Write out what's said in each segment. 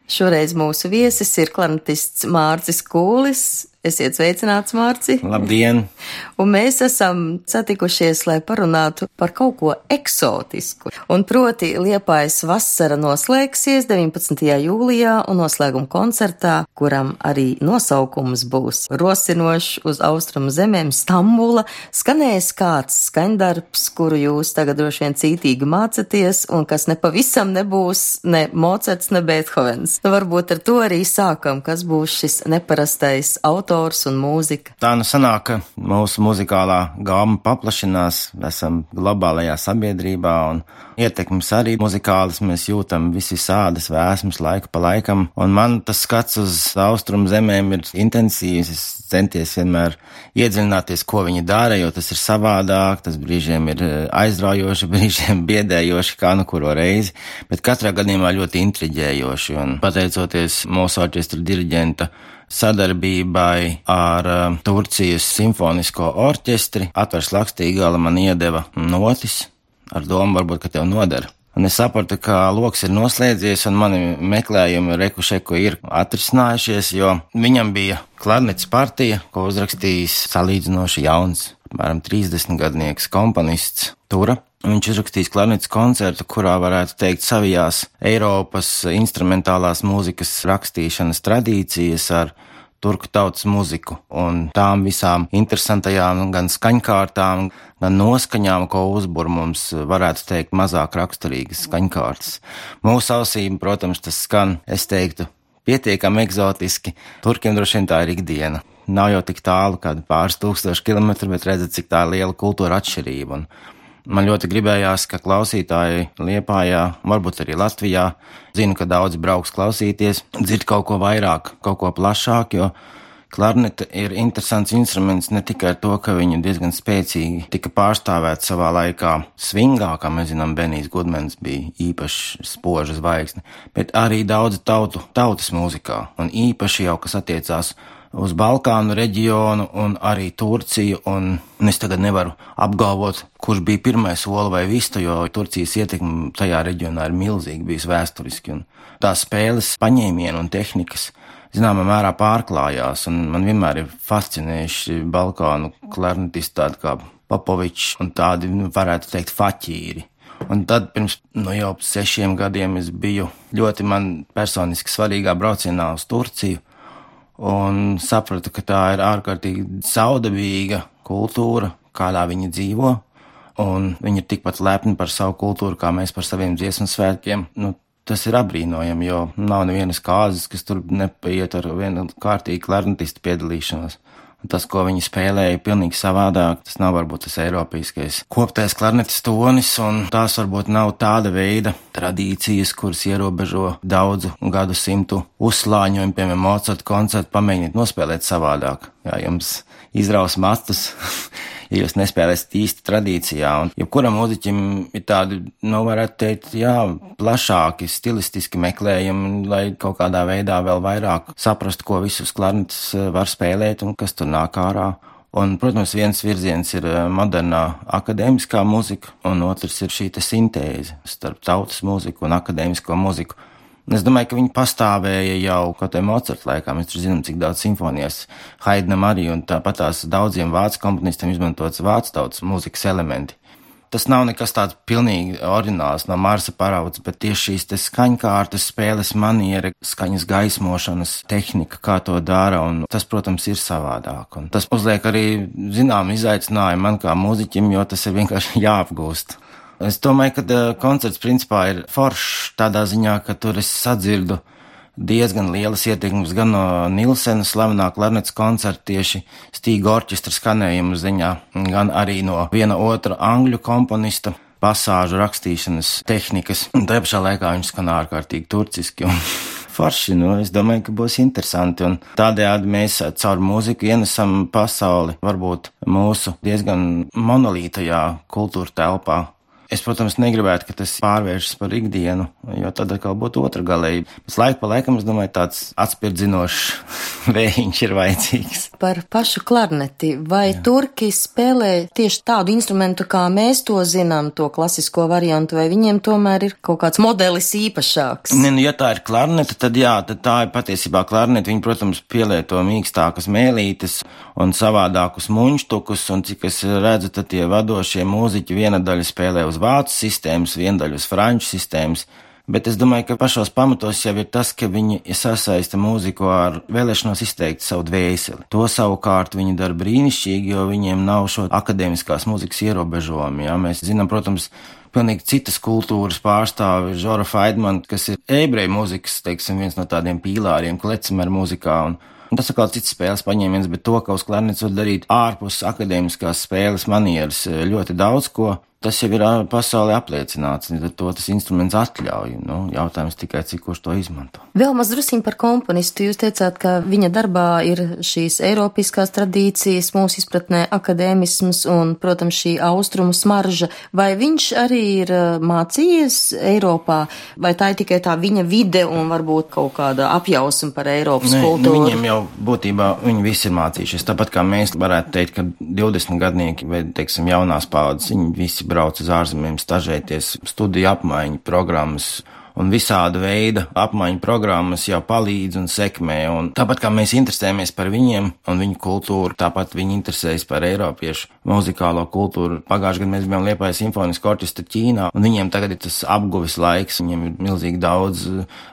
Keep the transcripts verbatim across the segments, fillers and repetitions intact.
Šoreiz mūsu viesis ir klarnetists Mārcis Kūlis. Esiet sveicināts, Mārci! Labdien! Un mēs esam satikušies, lai parunātu par kaut ko eksotisku. Un proti Liepājas vasara noslēgsies deviņpadsmitajā jūlijā un noslēguma koncertā, kuram arī nosaukums būs rosinošs uz austrumu zemēm Stambula, skanēs kāds skaņdarbs, kuru jūs tagad droši vien cītīgi mācaties un kas nepavisam nebūs ne Mocarts, ne Beethovens. Nu, varbūt ar to arī sākam, kas būs šis neparastais autors un mūzika. Tā nu sanāk, ka mūsu muzikālā gāma paplašinās, esam globālajā sabiedrībā un ietekmes arī muzikālas mēs jūtam visi sādas vēsmas laiku pa laikam, un man tas skats uz austrumu zemēm ir intensīvs, es centies vienmēr iedziļināties, ko viņi dara, jo tas ir savādāk, tas brīžiem ir aizraujoši, brīžiem biedējoši, kā nu kuro reizi, bet katrā gadījumā ļoti intriģējoši, un pateicoties mūsu orķestra diriģenta sadarbībai ar uh, Turcijas simfonisko orķestri, Atvars Lakstīgala man iedeva notis ar domu varbūt, ka tev nodara. Un es sapratu, ka loks ir noslēdzies un mani meklējumi rekušeku ir atrisinājušies, jo viņam bija klarnets partija, ko uzrakstījis salīdzinoši jauns, apmēram trīsdesmitgadnieks komponists Tura. Viņš uzrakstīs klarnets koncertu, kurā varētu teikt savijās Eiropas instrumentālās mūzikas rakstīšanas tradīcijas ar turku tautas muziku un tām visām interesantajām gan skaņkārtām, gan noskaņām, ko uzbur mums varētu teikt mazāk raksturīgas skaņkārtas. Mūsu ausīm, protams, tas skan, es teiktu, pietiekami egzotiski. Turkiem droši vien tā ir ikdiena. Nav jau tik tālu, kādi pāris tūkstoši kilometri, bet redzat, cik tā liela kultūra atšķirība. Un man ļoti gribējās, ka klausītāji Liepājā, varbūt arī Latvijā, zinu, ka daudzi brauks klausīties, dzird kaut ko vairāk, kaut ko plašāk, jo klarnete ir interesants instruments ne tikai ar to, ka viņi diezgan spēcīgi tika pārstāvēti savā laikā svingā, kā mēs zinām, Benijs Gudmens bija īpaši spoža zvaigzne, bet arī daudz tautu, tautas mūzikā, un īpaši jau, kas attiecās uz Balkānu reģionu un arī Turciju, un es tagad nevaru apgalvot, kurš bija pirmais Ola vai Vista, jo Turcijas ietekme tajā reģionā ir milzīgi bijis vēsturiski, un tās spēles paņēmieni un tehnikas zināmā mērā pārklājās, un man vienmēr ir fascinējuši Balkānu klarnetisti tādi kā Popovičs un tādi, varētu teikt, faķīri. Un tad pirms no jau sešiem gadiem es biju ļoti man personiski svarīgā braucienā uz Turciju, un sapratu, ka tā ir ārkārtīgi saudabīga kultūra, kādā viņi dzīvo, un viņi ir tikpat lepni par savu kultūru, kā mēs par saviem dziesmu svētkiem. Nu, tas ir apbrīnojami, jo nav nevienas kāzas, kas tur nepaiet ar vienu kārtīgu klarnetistu piedalīšanos. Un tas, ko viņi spēlēja, pilnīgi savādāk, tas nav varbūt tas eiropeiskais koptais klarnetes tonis, un tās varbūt nav tāda veida tradīcijas, kuras ierobežo daudzu gadu simtu uzslāņojumu, piemēram, Mocarta koncertu, pamēģiniet nospēlēt savādāk. Jā, jums izraus mastus, ja jūs nespēlēsiet īsti tradīcijā, un jebkuram mūziķim ir tādi, nu, varētu teikt, jā, plašāki, stilistiski meklējumi, lai kaut kādā veidā vēl vairāk saprastu, ko visus klarnetes var spēlēt un kas tur nāk ārā. Un, protams, viens virziens ir modernā akadēmiskā mūzika, un otrs ir šī te sintēze starp tautas mūziku un akadēmisko mūziku. Es domāju, ka viņi pastāvēja jau kaut vai Mocarta laikā, mēs tur zinām, cik daudz simfonijas Haidnam arī, un tāpat tās daudziem vācu komponistiem izmantots vācu tautas mūzikas elementi. Tas nav nekas tāds pilnīgi oriģināls no Marsa paraudzes, bet tieši šīs te skaņkārtas, spēles maniera, skaņas gaismošanas tehnika, kā to dara, un tas, protams, ir savādāk. Un tas uzliek arī zinām izaicinājumu man kā mūziķim, jo tas ir vienkārši jāapgūst. Es domāju, ka koncerts principā ir foršs tādā ziņā, ka tur es sadzirdu diezgan lielas ietekmes gan no Nilsena slavenā klarnetes koncerta tieši Stīga orķestra skanējuma ziņā, gan arī no viena otra angļu komponista pasāžu rakstīšanas tehnikas. Un tajā pašā laikā viņš skan ārkārtīgi turciski un forši, nu, es domāju, ka būs interesanti, un tādējādi mēs caur mūziku ienesam pasauli varbūt mūsu diezgan monolītajā kultūra telpā Es, protams, negribētu, ka tas pārvēršas par ikdienu, jo tad atkal būtu otra galēji. Pēc laika pa laikam, es domāju, tāds atspirdzinošs vējiņš ir vajadzīgs. Par pašu klarneti. Vai Jā. Turki spēlē tieši tādu instrumentu, kā mēs to zinām, to klasisko variantu, vai viņiem tomēr ir kaut kāds modelis īpašāks? Ne, nu, ja tā ir klarneta, tad jā, tad tā ir patiesībā klarneta. Viņi, protams, pielieto mīkstākas mēlītes un savādākus muņštukus, un cik es redzu, tad tie vadošie mūziķi viena daļa spēlē uz vācu sistēmas, viena daļa uz franču sistēmas. Bet es domāju, ka pašos pamatos jau ir tas, ka viņi sasaista mūziku ar vēlēšanos izteikt savu dvēseli. To savukārt viņi dara brīnišķīgi, jo viņiem nav šo akadēmiskās mūzikas ierobežojumi. Ja? Mēs zinām, protams, pilnīgi citas kultūras pārstāvi, Žora Faidman, kas ir ebreju mūzikas, teiksim, viens no tādiem pīlāriem, klecimera mūzikā. Un, un tas atkal cits spēles paņēmiens, bet to, ka uz klarnets var darīt ārpus akadēmiskās spēles manieres ļoti daudz ko. Tas jau ir pasaulē apliecināts, un to tas instruments atļauj. Nu, jautājums tikai, cik kurš to izmanto. Vēl maz drusiņ par komponistu. Jūs teicāt, ka viņa darbā ir šīs eiropiskās tradīcijas, mūsu izpratnē akadēmisms un, protams, šī austrumu smarža. Vai viņš arī ir mācījies Eiropā, vai tā ir tikai tā viņa vide un varbūt kaut kāda apjausma par Eiropas Nē, kultūru? Nu, viņiem jau būtībā viņi visi ir mācījušies. Tāpat kā mēs varētu teikt, ka divdesmit gadnieki vai, teiksim, jaunās paudzes, viņi visi brauc uz ārzemēm stažēties, studiju apmaiņu programmas un visāda veida apmaiņu programmas jau palīdz un sekmē. Un tāpat kā mēs interesējamies par viņiem un viņu kultūru, tāpat viņi interesējas par eiropiešu muzikālo kultūru. Pagājušajā gadā mēs bijām Liepājas simfoniskā orķestra Ķīnā, un viņiem tagad ir tas apguves laiks, viņiem ir milzīgi daudz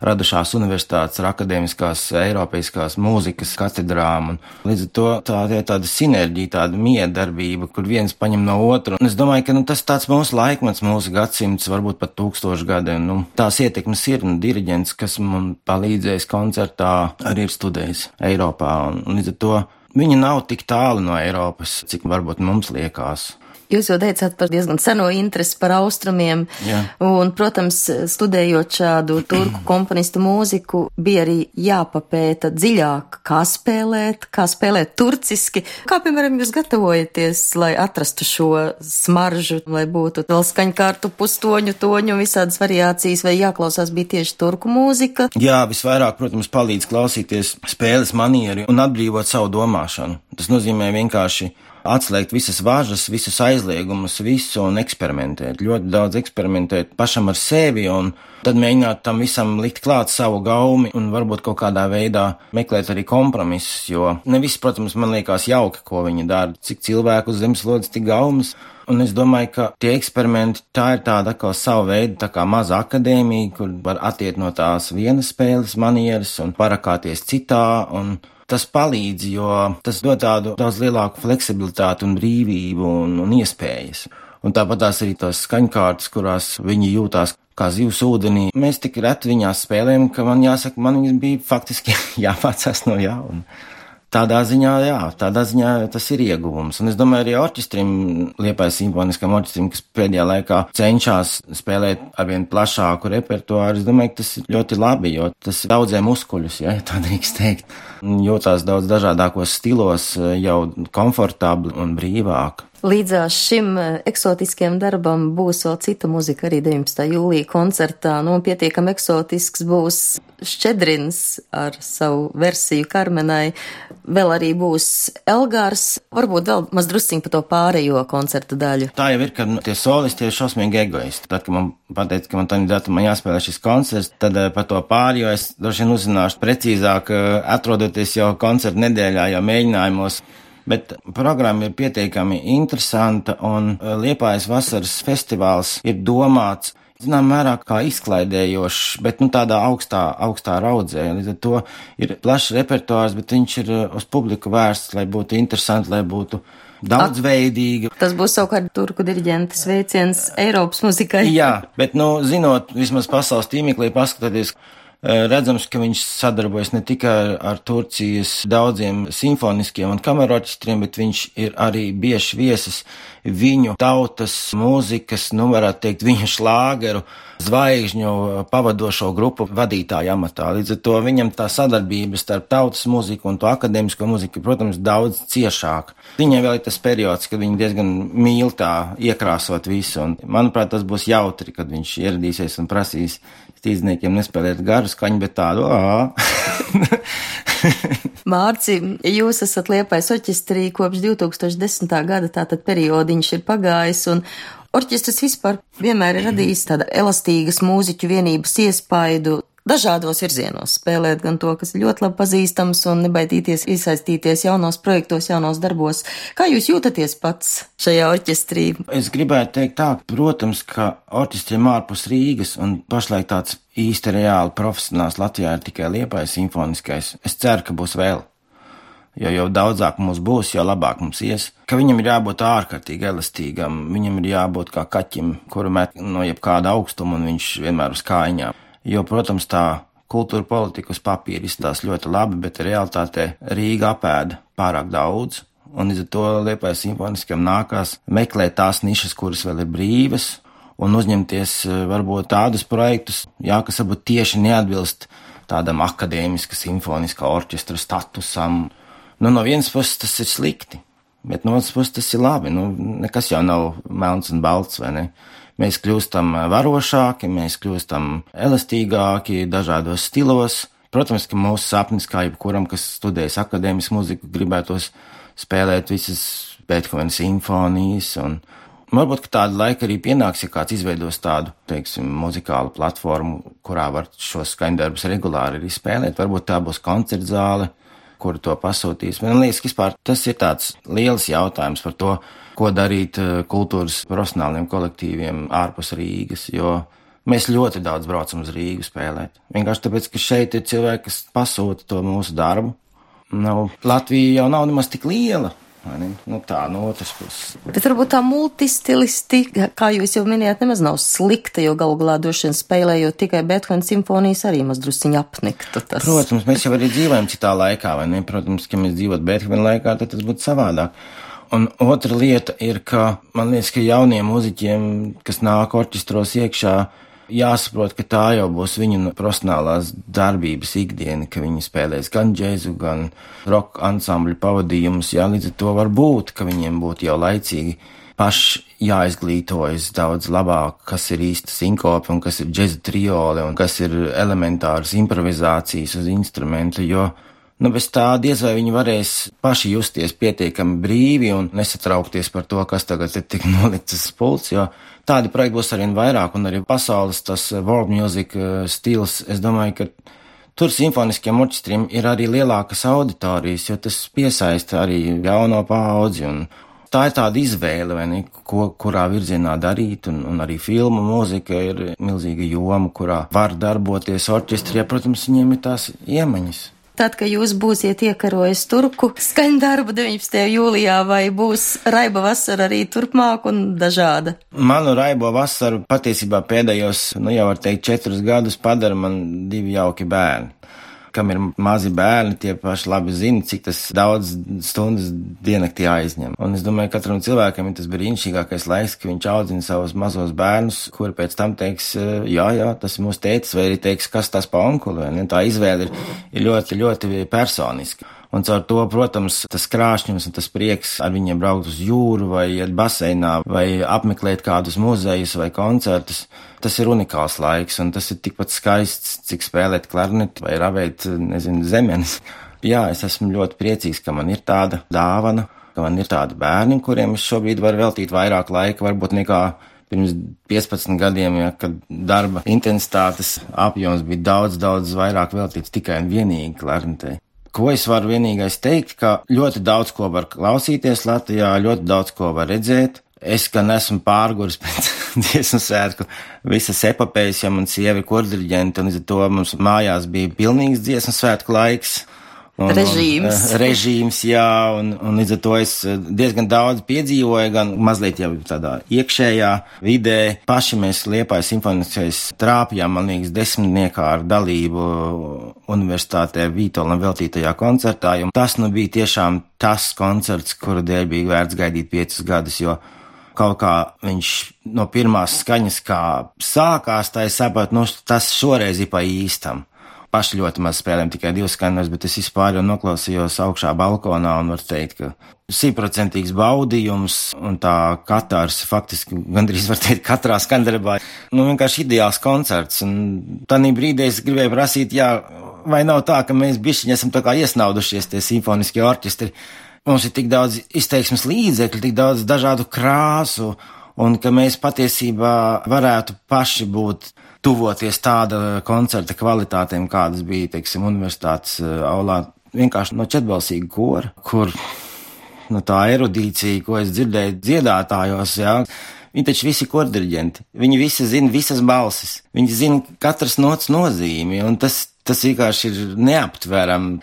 radušās universitātes ar akadēmiskās eiropeiskās mūzikas katedrām. Un līdz ar to tā ir tāda sinerģija, tāda miedarbība, kur viens paņem no otru. Un es domāju, ka nu, tas tāds mūsu laikmets, mūsu gadsimts, varbūt pat tūkstoši gadiem. Nu, tās ietekmes ir, un diriģents, kas man palīdzējis koncertā, arī ir studējis Eiropā. Un, un līdz ar to viņi nav tik tālu no Eiropas, cik varbūt mums liekas. Jūs jau teicāt par diezgan seno interesi par austrumiem, Jā. Un, protams, studējot šādu turku komponistu mūziku, bija arī jāpapēta dziļāk, kā spēlēt, kā spēlēt turciski. Kā, piemēram, jūs gatavojaties, lai atrastu šo smaržu, lai būtu vēl skaņkārtu, pustoņu, toņu, visādas variācijas, vai jāklausās bija tieši turku mūzika? Jā, visvairāk, protams, palīdz klausīties spēles manieri un atbrīvot savu domāšanu. Tas nozīmē vienkārši atslēgt visas važas, visus aizliegumus, visu un eksperimentēt. Ļoti daudz eksperimentēt pašam ar sevi un tad mēģināt tam visam likt klāt savu gaumi un varbūt kaut kādā veidā meklēt arī kompromisus, jo ne viss, protams, man liekas jauki, ko viņi dara. Cik cilvēku uz zemeslodes, tik gaumas. Un es domāju, ka tie eksperimenti, tā ir tāda kā sava veida, tā kā maza akadēmija, kur var attiet no tās vienas spēles manieres un parakāties citā un tas palīdz, jo tas dod tādu daudz lielāku fleksibilitāti un brīvību un, un iespējas. Un tāpat tās arī tās skaņkārtas, kurās viņi jūtās kā zivs ūdenī. Mēs tik reti viņās spēlējam, ka man jāsaka, man viņas bija faktiski jāmācās no jauna. Tādā ziņā, jā, tādā ziņā tas ir ieguvums. Un es domāju, arī orķestrim, Liepājas simfoniskam orķestrim, kas pēdējā laikā cenšas spēlēt arvien plašāku repertuāru, es domāju, ka tas ir ļoti labi, jo tas daudzē muskuļus, ja tā drīkst teikt. Jūtās daudz dažādākos stilos, jau komfortabli un brīvāk. Līdzās šim eksotiskiem darbam būs vēl cita muzika arī deviņpadsmitā jūlija koncertā. Nu, pietiekam eksotisks būs Šķedrins ar savu versiju Karmenai. Vēl arī būs Elgārs. Varbūt vēl maz drusciņ par to pārējo koncerta daļu. Tā jau ir, ka tie solisti ir šausmīgi egoisti. Tad, kad man pateica, ka man tādā datumā jāspēlē šis koncerts, tad par to pārējo es droši vien uzzināšu precīzāk, atrodoties jau koncerta nedēļā, jau mēģinājumos. Bet programma ir pietiekami interesanta un Liepājas vasaras festivāls ir domāts, zinām, mērā kā izklaidējošs, bet nu tādā augstā, augstā raudzē. Līdz ar to ir plašs repertuārs, bet viņš ir uz publiku vērsts, lai būtu interesanti, lai būtu daudzveidīgi. Tas būs savukārt turku diriģenta sveiciens Eiropas muzikai. Jā, bet nu, zinot, vismaz pasaules tīmeklī paskatoties, Redzams, ka viņš sadarbojas ne tikai ar, ar Turcijas daudziem simfoniskiem un kamerorķestriem, bet viņš ir arī bieži viesis viņu tautas mūzikas, nu varētu teikt, viņu šlāgeru zvaigžņu pavadošo grupu vadītāju amatā. Līdz ar to viņam tā sadarbība starp tautas mūziku un to akadēmisko mūziku, protams, daudz ciešāka. Viņai vēl ir tas periods, kad viņi diezgan mīl tā iekrāsot visu, un manuprāt, tas būs jautri, kad viņš ieradīsies un prasīs stīdzniekiem nespēlēt garu skaņu, bet tādu ā. Mārci, jūs esat Liepājas orķestrī kopš divi tūkstoši desmitā gada, tātad periodiņš ir pagājis, un orķestris vispār vienmēr ir radījis tāda elastīgas mūziķu vienības iespaidu dažādos virzienos, spēlēt gan to, kas ir ļoti labi pazīstams, un nebaidīties iesaistīties jaunos projektos, jaunos darbos. Kā jūs jūtaties pats šajā orķestrī? Es gribētu teikt tā, protams, ka orķestriem ārpus Rīgas un pašlaik tāds īsti reāli profesionāls Latvijā ir tikai Liepājas simfoniskais. Es ceru, ka būs vēl. Jo jau daudzāk mums būs, jo labāk mums ies, ka viņam ir jābūt ārkārtīgi elastīgam, viņam ir jābūt kā kaķim, kuru met no jebkāda augstuma un viņš vienmēr uz kājņām. Jo, protams, tā kultūra politika uz papīra izstās ļoti labi, bet realitātē Rīga apēda pārāk daudz, un līdz ar to Liepājas simfoniskam nākās meklēt tās nišas, kuras vēl ir brīvas, un uzņemties varbūt tādus projektus, jā, kas varbūt tieši neatbilst tādam akadēmiska simfoniskā orķestra statusam. Nu, no vienas puses tas ir slikti, bet no otras puses tas ir labi. Nu, nekas jau nav melns un balts, vai ne? Mēs kļūstam varošāki, mēs kļūstam elastīgāki dažādos stilos. Protams, ka mūsu sapnis, kā jebkuram, kas studējas akadēmisku mūziku, gribētos spēlēt visas Beethovena simfonijas, un varbūt, ka tāda laika arī pienāks, ja kāds izveidos tādu, teiksim, muzikālu platformu, kurā var šos skaņdarbus regulāri arī spēlēt. Varbūt tā būs koncertzāle, kuru to pasūtīs. Man liekas, ka vispār tas ir tāds liels jautājums par to, ko darīt kultūras profesionāliem kolektīviem ārpus Rīgas, jo mēs ļoti daudz braucam uz Rīgu spēlēt. Vienkārši tāpēc, ka šeit ir cilvēki, kas pasūta to mūsu darbu. Nu, Latvija jau nav nemaz tik liela. Nu tā, no otras puses. Bet varbūt tā multistilistika, kā jūs jau minējāt, nemaz nav slikta, jo galu galā droši vien spēlējot tikai Beethovena simfonijas arī maz drusciņi apniktu tas. Protams, mēs jau arī dzīvojam citā laikā, vai ne? Protams, ka mēs dzīvot Beethovena laikā, tad tas būtu savādāk. Un otra lieta ir, ka man liekas, ka jauniem mūziķiem, kas nāk orķestros iekšā, jāsaprot, ka tā jau būs viņu profesionālās darbības ikdiena, ka viņi spēlēs gan džēzu, gan rock ansambļu pavadījumus, jā, līdz ar to var būt, ka viņiem būtu jau laicīgi paši jāizglītojas daudz labāk, kas ir īsta sinkope un kas ir džēza triole un kas ir elementāras improvizācijas uz instrumentu, jo nu, bez tā diez vai viņi varēs paši justies pietiekami brīvi un nesatraukties par to, kas tagad ir tik nolikts uz pults, jo tādi projekti būs arvien vairāk, un arī pasaules tas world music stils, es domāju, ka tur simfoniskiem orķestriem ir arī lielākas auditorijas, jo tas piesaista arī jauno paudzi, un tā ir tāda izvēle, vai ne, ko, kurā virzienā darīt, un, un arī filmu mūzika ir milzīga joma, kurā var darboties orķestri, ja, protams, viņiem ir tās iemaņas. Tad, kad jūs būsiet iekarojis turku skaņdarbu deviņpadsmitajā jūlijā, vai būs raiba vasara arī turpmāk un dažāda? Manu raibo vasaru patiesībā pēdējos, nu jau var teikt, četrus gadus padara man divi jauki bērni. Kam ir mazi bērni, tie paši labi zina, cik tas daudz stundas diennaktī aizņem. Un es domāju, katram cilvēkam ir tas brīnišķīgākais laiks, ka viņš audzina savus mazos bērnus, kuri pēc tam teiks, jā, jā, tas ir mūsu tētis, vai arī teiks, kas tas pa onkuli. Tā izvēle ir, ir ļoti, ļoti personiska. Un caur to, protams, tas krāšņums un tas prieks ar viņiem braukt uz jūru vai iet baseinā vai apmeklēt kādus muzejus vai koncertus, tas ir unikāls laiks un tas ir tikpat skaists, cik spēlēt klarneti vai ravēt, nezinu, zemenes. Jā, es esmu ļoti priecīgs, ka man ir tāda dāvana, ka man ir tādi bērni, kuriem es šobrīd varu veltīt vairāk laika, varbūt nekā pirms piecpadsmit gadiem, ja, kad darba intensitātes apjoms bija daudz, daudz vairāk veltīts tikai un vienīgi klarnetei. Ko es varu vienīgais teikt, ka ļoti daudz ko var klausīties Latvijā, ļoti daudz ko var redzēt. Es gan esmu pārguris pēc dziesmu svētku visas epopējas, ja man sieva ir kordiriģente, un līdz ar to mums mājās bija pilnīgs dziesmu svētku laiks. Un, režīms. Un, režīms, jā, un, un līdz ar to es diezgan daudz piedzīvoju, gan mazliet jau tādā iekšējā vidē. Paši mēs Liepājas simfoniskais trāpījām, man liekas, desmitniekā ar dalību universitātē Vītolam veltītajā koncertā, un tas nu bija tiešām tas koncerts, kura dēļ bija vērts gaidīt piecus gadus, jo kaut kā viņš no pirmās skaņas kā sākās, tā es sapratu, nu tas šoreiz ir pa īstam. Paši ļoti maz spēlējam, tikai divas skaņas, bet es vispār jau noklausījos augšā balkonā un var teikt, ka simtprocentīgs baudījums un tā katārs faktiski gandrīz var teikt katrā skaņdarbā. Nu vienkārši ideāls koncerts, un tādī brīdī es gribēju prasīt, jā, vai nav tā, ka mēs bišķiņi esam tā kā iesnaudušies tie simfoniskie orķestri. Mums ir tik daudz izteiksmes līdzekļu, tik daudz dažādu krāsu, un ka mēs patiesībā varētu paši būt tuvoties tāda koncerta kvalitātēm, kādas bija, teiksim, universitātes aulā, vienkārši no četbalsīga kora, kur no tā erudīcija, ko es dzirdēju dziedātājos, jā, viņi taču visi kordiriģenti, viņi visi zina visas balsis, viņi zina katras nots nozīmi, un tas, tas vienkārši ir neaptverami.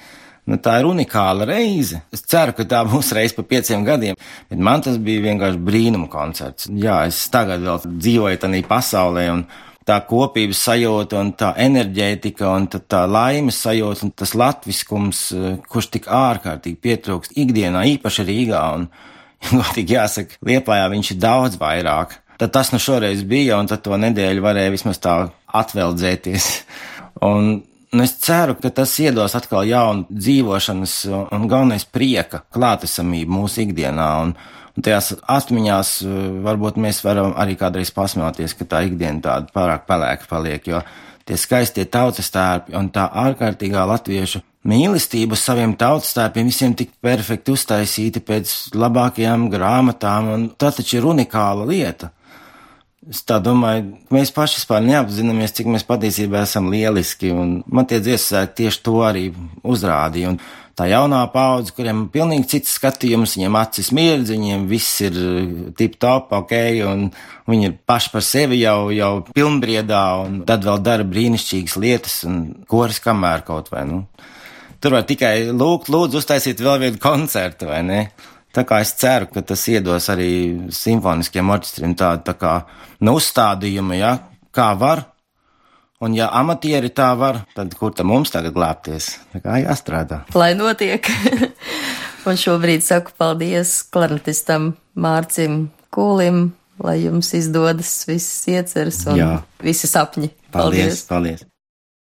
Nu, tā ir unikāla reize. Es ceru, ka tā būs reize pa pieciem gadiem, bet man tas bija vienkārši brīnuma koncerts. Jā, es tagad vēl dzīvoju tādā pasaulē, un tā kopības sajūta un tā enerģētika un tā, tā laimes sajūta un tas latviskums, kurš tik ārkārtīgi pietrūkst ikdienā, īpaši Rīgā, un, godīgi jāsaka, Liepājā viņš ir daudz vairāk. Tad tas nu šoreiz bija, un tad to nedēļu varēja vismaz tā atveldzēties. Un nu, es ceru, ka tas iedos atkal jaunu dzīvošanas un galvenais prieka klātesamību mūsu ikdienā, un, un tajās atmiņās varbūt mēs varam arī kādreiz pasmēties, ka tā ikdiena tāda pārāk pelēka paliek, jo tie skaistie tautas tērpi un tā ārkārtīgā latviešu mīlestība saviem tautas tērpiem visiem tik perfekti uztaisīti pēc labākajām grāmatām, un tā taču ir unikāla lieta. Es tā domāju, mēs paši vispār neapzināmies, cik mēs patiesībā esam lieliski, un man tie dziesmēki tieši to arī uzrādīja, un tā jaunā paudze, kuriem pilnīgi cits skatījums, viņiem acis mirdz, viņiem viss ir tip top, ok, un viņi ir paši par sevi jau, jau pilnbriedā, un tad vēl dara brīnišķīgas lietas, un koris kamēr kaut vai, nu. Tur var tikai lūgt, lūdzu, uztaisīt vēl vienu koncertu, vai ne? Tā kā es ceru, ka tas iedos arī simfoniskiem orķestriem tādu tā kā nu, uzstādījumu, ja, kā var, un ja amatieri tā var, tad kur tam mums tagad glābties? Tā kā jāstrādā. Lai notiek. Un šobrīd saku paldies klarnetistam Mārcim Kūlim, lai jums izdodas visas ieceres un Jā. Visi sapņi. Paldies, paldies. paldies.